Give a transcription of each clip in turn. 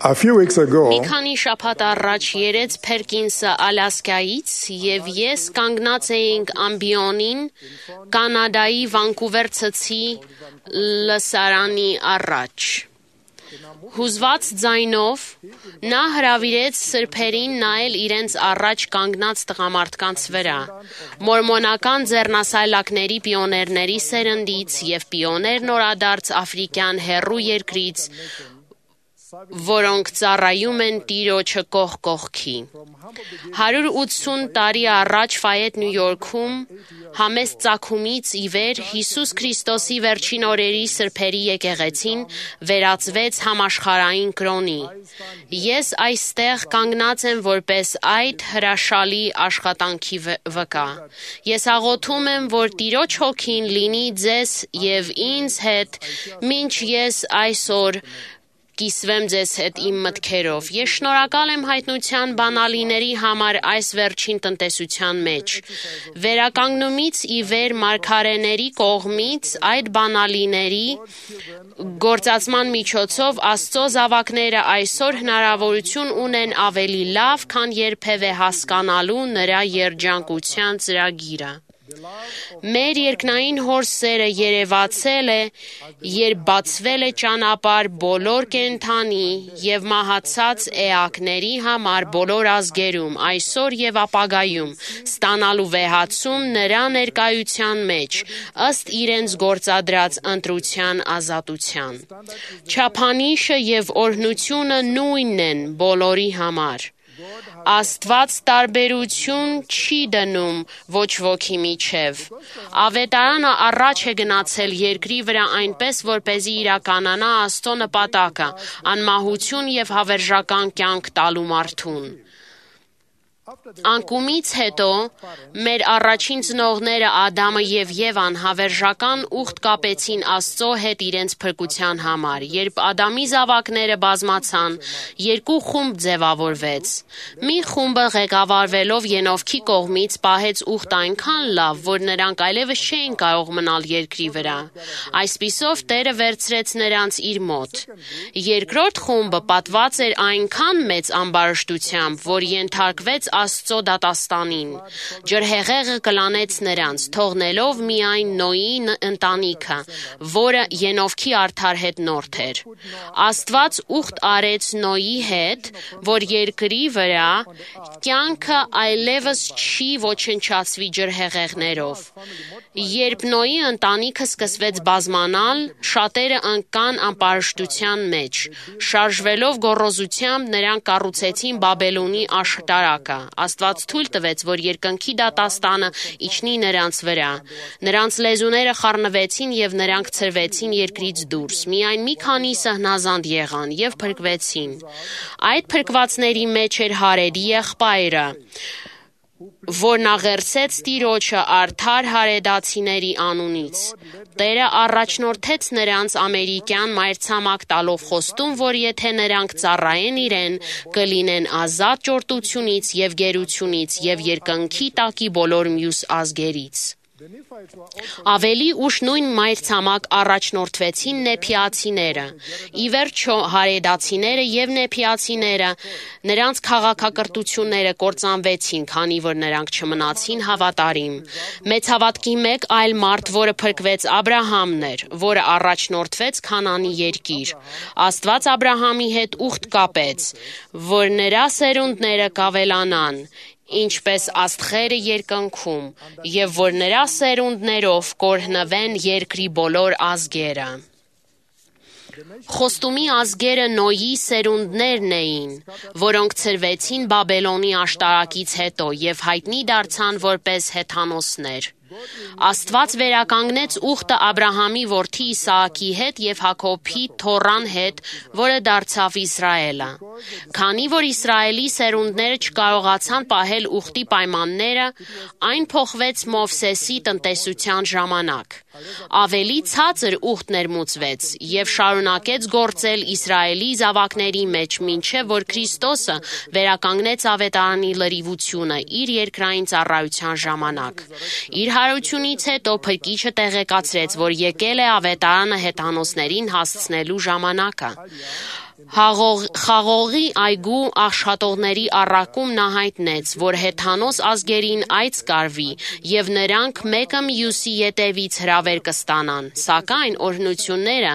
A few weeks ago, Մի քանի շաբաթ առաջ երեց Փերկինսը Ալասկայից եւ ես կանգնած էինք ամբիոնին Կանադայի Վանկուվեր ցցի լսարանի առաջ։ Հուզված ձայնով նա հրավիրեց սրբերին նայել իրենց առաջ կանգնած տղամարդկանց վրա, մորմոնական ձեռնասայլակների պիոներների սերնդից եւ պիոներ նորադարձ աֆրիկյան հեռու երկրից, որոնք ծառայում են Տիրոջը կողք կողքի։ 180 տարի առաջ Ֆայետ Նյու Յորքում համեստ ծագումից ի վեր Հիսուս Քրիստոսի վերջին օրերի սրբերի եկեղեցին վերածվեց համաշխարհային կրոնի։ Ես այստեղ կանգնած եմ որպես այդ հրաշալի աշխատանքի վկա։ Ես աղոթում եմ, որ Տիրոջ հոգին լինի ձեզ եւ ինձ հետ, մինչ ես այսօր կիսվեմ ձեզ հետ իմ մտքերով։ Ես շնորհակալ եմ հայտնության բանալիների համար այս վերջին տնտեսության մեջ։ Վերականգնումից ի վեր մարգարեների կողմից այդ բանալիների գործածման միջոցով Աստծո զավակները այսօր հնարավորություն ունեն ավելի լավ, քան երբևէ հասկանալու նրա երջանկության ծրագիրը։ Մեր երկնային հոր սերը երևացել է, երբ բացվել է ճանապարհ բոլոր կենդանի եւ մահացած էակների համար բոլոր ազգերում, այսօր եւ ապագայում, ստանալու վեհացում նրա ներկայության մեջ, ըստ իրենց գործադրած ընտրության ազատության։ Չափանիշը եւ օրհնությունը նույնն են բոլորի համար։ Աստված տարբերություն չի դնում ոչ ոքի միջև։ Ավետարանը առաջ է գնացել երկրի վրա այնպես, որպեսզի իրականանա Աստծո նպատակը՝ անմահություն եւ հավերժական կյանք տալու մարդուն։ Անկումից հետո մեր առաջին ծնողները Ադամը եւ Եվան հավերժական ուխտ կապեցին Աստծո հետ իրենց փրկության համար։ Երբ Ադամի զավակները բազմացան, երկու խումբ ձևավորվեց։ Մի խումբը ղեկավարվելով Ենովքի կողմից պահեց ուխտ այնքան լավ, որ նրանք այլևս չէին կարող մնալ երկրի վրա։ Այսպիսով Տերը վերցրեց նրանց իր մոտ։ Երկրորդ խումբը պատված էր այնքան մեծ ամբարշտությամբ, որ ենթարկվեց Աստծո դատաստանին։ Ջրհեղեղը կլանեց նրանց, թողնելով միայն Նոյի ընտանիքը, որը Ենովքի արդար հետնորդ էր։ Աստված ուխտ արեց Նոյի հետ, որ երկրի վրա կյանքը այլևս չի ոչնչացվի ջրհեղեղներով։ Երբ Նոյի ընտանիքը սկսվեց բազմանալ, շատերը ընկան ամբարշտության մեջ։ Շարժվելով գոռոզությամբ նրանք կառուցեցին Բաբելոնի աշտարակը։ Աստված թույլ տվեց, որ երկնքի դատաստանը իջնի նրանց վրա։ Նրանց լեզուները խառնվեցին եւ նրանք ցրվեցին երկրից դուրս։ Միայն մի քանիսը հնազանդ եղան եւ փրկվեցին։ Այդ փրկվածների մեջ էր Հարեդի եղբայրը, որն աղերսեց Տիրոջը արդար հարեդացիների անունից։ Տերը առաջնորդեց նրանց ամերիկյան մայրցամաք տալով խոստում, որ եթե նրանք ծառայեն իրեն, կլինեն ազատ ճորտությունից եւ գերությունից եւ երկնքի տակի բոլոր մյուս ազգերից։ Ավելի ուշ նույն մայրցամաք առաջնորդվեցին նեփիացիները։ Ի վերջո հարեդացիները եւ նեփիացիները նրանց քաղաքակրթությունները կործանվեցին, քանի որ նրանք չմնացին հավատարիմ։ Մեծ հավատքի մեկ այլ մարդ, որը փրկվեց, Աբրահամն էր, որը առաջնորդվեց Քանանի երկիր։ Աստված Աբրահամի հետ ուխտ կապեց, որ նրա սերունդները կավելանան, ինչպես աստղերը երկնքում, եւ որ նրա սերունդներով կօրհնվեն երկրի բոլոր ազգերը։ Խոստումի ազգերը Նոյի սերունդներն էին, որոնք ցրվեցին Բաբելոնի աշտարակից հետո եւ հայտնի դարձան որպես հեթանոսներ։ Աստված վերականգնեց ուխտը Աբրահամի որդի Իսահակի հետ եւ Հակոբի թոռան հետ, որը դարձավ Իսրայելը։ Քանի որ Իսրայելի սերունդները չկարողացան պահել ուխտի պայմանները, այն փոխվեց Մովսեսի տնտեսության ժամանակ։ Ավելի ցածր ուխտ ներմուծվեց եւ շարունակեց գործել Իսրայելի զավակների մեջ, մինչեւ որ Քրիստոսը վերականգնեց ավետարանի լրիվությունը իր երկրային ծառայության ժամանակ։ Իր հարությունից հետո Փրկիչը տեղեկացրեց, որ եկել է ավետարանը հեթանոսներին հասցնելու ժամանակը։ Խաղողի այգու աշխատողների առակումն հայտնեց, որ հեթանոս ազգերին այց կարվի եւ նրանք մեկը մյուսի ետևից հրավեր կստանան, սակայն օրհնությունները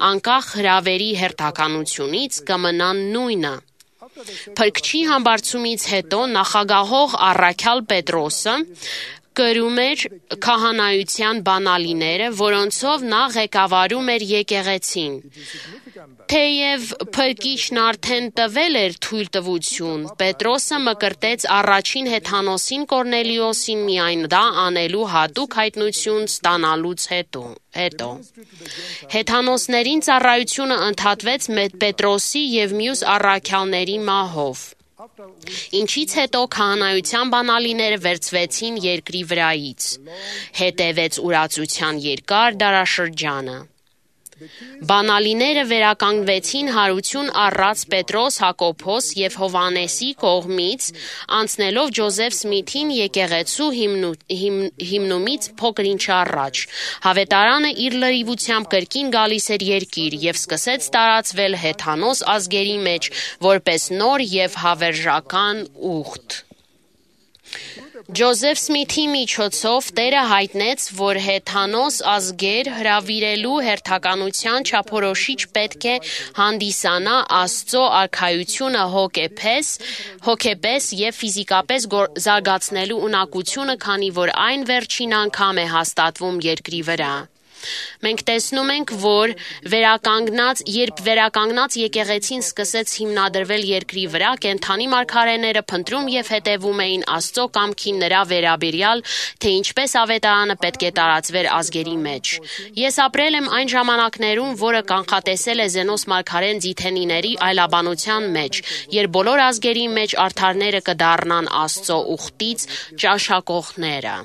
անկախ հրավերի հերթականությունից կմնան նույնը։ Փրկչի համբարձումից հետո նախագահող առաքյալ Պետրոսը կրում էր քահանայության բանալիները, որոնցով նա ղեկավարում էր եկեղեցին։ Թեև փրկիչն արդեն տվել էր թույլտվություն, Պետրոսը մկրտեց առաջին հեթանոսին Կորնելիոսին միայն դա անելու հատուկ հայտնություն ստանալուց հետո։ Հեթանոսներին ծառայությունը ընդհատվեց Պետրոսի և մյուս առաքյալների մահով, ինչից հետո քահանայության բանալիները վերցվեցին երկրի վրայից։ Հետևեց ուրացության երկար դարաշրջանը։ Բանալիները վերականգնվեցին հարություն առած Պետրոս, Հակոբոս և Հովհաննեսի կողմից, անցնելով Ջոզեֆ Սմիթին եկեղեցու հիմնումից փոքր ինչ առաջ։ Հավետարանը իր լրիվությամբ կրկին գալիս էր երկիր և սկսեց տարածվել հեթանոս ազգերի մեջ որպես նոր և հավերժական ուխտ։ Ջոզեֆ Սմիթի միջոցով Տերը հայտնեց, որ հեթանոս ազգեր հրավիրելու հերթականության չափորոշիչ պետք է հանդիսանա Աստծո արքայությունը հոգեպես և ֆիզիկապես զարգացնելու ունակությունը, քանի որ այն վերջին անգամ է հաստատվում երկրի վրա։ Մենք տեսնում ենք, որ երբ վերականգնած եկեղեցին սկսեց հիմնադրվել երկրի վրա, կենդանի մարգարեները փնտրում և հետևում էին Աստծո կամքին նրա վերաբերյալ, թե ինչպես ավետարանը պետք է տարածվեր ազգերի մեջ։ Ես ապրել եմ այն ժամանակներում, որը կանխատեսել է Զենոս մարգարեն Ձիթենիների այլաբանության մեջ, երբ բոլոր ազգերի մեջ արդարները կդառնան Աստծո ուխտից ճաշակողները։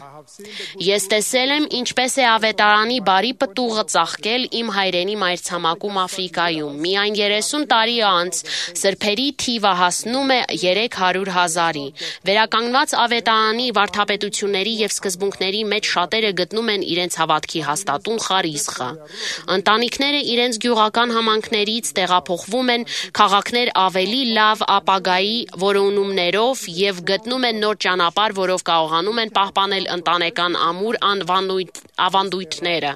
Ես տեսել եմ, ինչպես է ավետարանի բարի պտուղը ծաղկել իմ հայրենի մայրցամաքում Աֆրիկայում։ Միայն 30 տարի անց սրբերի թիվը հասնում է 300,000-ի։ Վերականգնված ավետարանի վարդապետությունների և սկզբունքների մեջ շատերը գտնում են իրենց հավատքի հաստատուն խարիսխը։ Ընտանիքները իրենց գյուղական համայնքներից տեղափոխվում են քաղաքներ ավելի լավ ապագայի որոնումներով և գտնում են նոր ճանապարհ, որով կարողանում են պահպանել ընտանեկան ամուր ավանդույթները,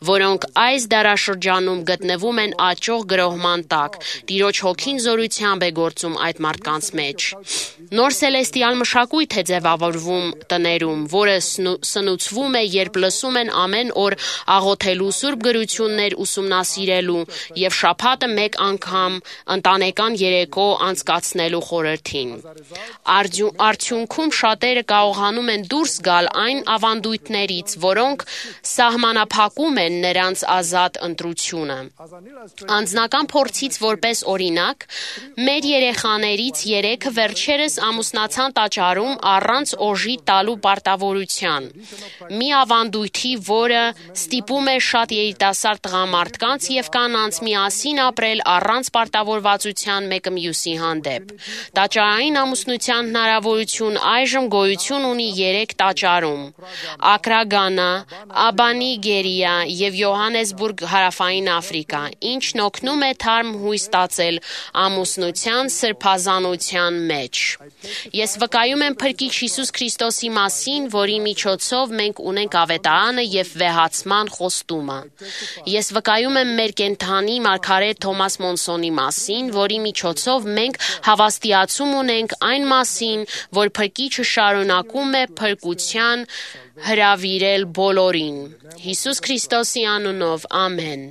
որոնք այս դարաշրջանում գտնվում են աճող գրոհման տակ։ Տիրոջ հոգին զորությամբ է գործում այդ մարդկանց մեջ։ Նոր սելեստիալ մշակույթ է ձևավորվում տներում, որը սնուցվում է, երբ լսում են ամեն օր աղոթելու, սուրբ գրություններ ուսումնասիրելու և շաբաթը մեկ անգամ ընտանեկան երեկո անցկացնելու խորհրդին։ Արդյունքում շատերը կարողանում են դուրս գալ այն ավանդույթներից, որոնք սահմանափակում են նրանց ազատ ընտրությունը։ Անձնական փորձից որպես օրինակ, մեր երեխաներից 3-ը վերջերս ամուսնացան տաճարում առանց օժի տալու պարտավորության։ Մի ավանդույթի, որը ստիպում է շատ երիտասարդ տղամարդկանց և կանանց միասին ապրել առանց պարտավորվածության մեկը մյուսի հանդեպ։ Տաճարային ամուսնության հնարավորություն այժմ գոյություն ունի 3 տաճարում՝ Ակրա, Գանա, Աբանի, Գերիա և Յոհանեսբուրգ, Հարավային Աֆրիկա, ինչն օգնում է թարմ հույս ստացել ամուսնության սրբազանության մեջ։ Ես վկայում եմ Փրկիչ Հիսուս Քրիստոսի մասին, որի միջոցով մենք ունենք ավետարանը և վեհացման խոստումը։ Ես վկայում եմ մեր կենդանի մարգարե Թոմաս Մոնսոնի մասին, որի միջոցով մենք հավաստիացում ունենք այն մասին, որ Փրկիչը շարունակում է փրկության հրավիրել բոլորին։ Հիսուս Քրիստոսի անունով, ամեն։